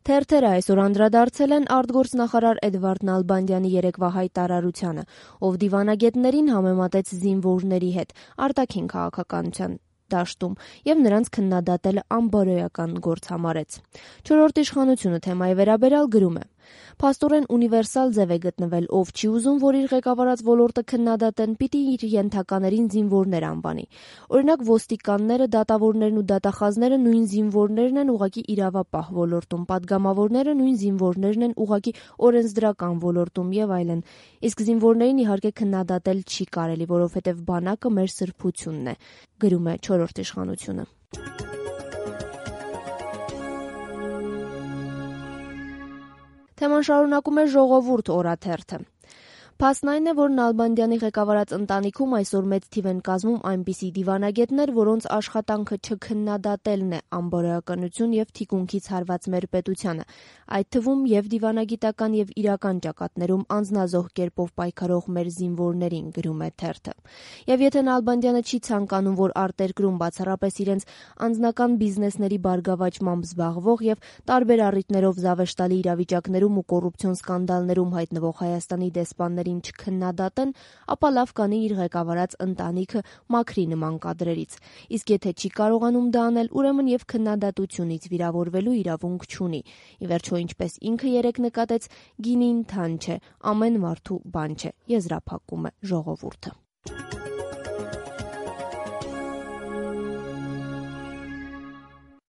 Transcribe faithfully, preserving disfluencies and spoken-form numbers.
Թերթերը այսօր անդրադարձել են արտգործնախարար Էդվարդ Նալբանդյանի երեկվա հայտարարությանը, ով դիվանագետներին համեմատեց զինվորների հետ արտաքին քաղաքականության դաշտում եւ նրանց քննադատելը անբարոյական գործ համարեց։ Չորրորդ իշխանությունը թեմայի վերաբերյալ գրում է. «Փաստորեն ունիվերսալ ձև է գտնվել, ով չի ուզում, որ իր ղեկավարած ոլորտը քննադատեն, պիտի իր ենթականերին զինվորներ անվանի։ Օրինակ ոստիկանները, դատավորներն ու դատախազները նույն զինվորներն են ուղղակի իրավապահ ոլորտում, պատգամավորները նույն զինվորներն են ուղղակի օրենսդրական ոլորտում եւ այլն։ Իսկ զինվորներին իհարկե քննադատել չի կարելի, որովհետեւ բանակը մեր սրբությունն է», գրում է չորրորդ իշխանությունը։ Թեման շարունակում է «Ժողովուրդ» օրաթերթը։ Փաստն այն է, որ Նալբանդյանի ղեկավարած ընտանիքում այսօր մեծ թիվ են կազմում այնպիսի դիվանագետներ, որոնց աշխատանքը չքննադատելն է անբարոյականություն եւ թիկունքից հարված մեր պետությանը, այդ թվում եւ դիվանագիտական եւ իրական ճակատներում անձնազոհ կերպով պայքարող մեր զինվորներին, գրում է թերթը։ Եվ եթե Նալբանդյանը չի ցանկանում, որ արտերկրում բացառապես իրենց անձնական բիզնեսների բարգավաճմամբ զբաղվող եւ տարբեր առիթներով զավեշտալի իրավիճակներում ու կոռուպցիոն սկանդալներում հայտնվող Հայաստանի դեսպաններ չքննադատեն, ապա լավ կանի իր ղեկավարած ընտանիքը մաքրի նման կադրերից։ Իսկ եթե չի կարողանում դա անել, ուրեմն եւ քննադատությունից վիրավորվելու իրավունք չունի։ Ի վերջո, ինչպես ինքը երեկ նկատեց, գինին թան չէ, ամեն մարդու բան չէ, եզրափակում է «Ժողովուրդը»։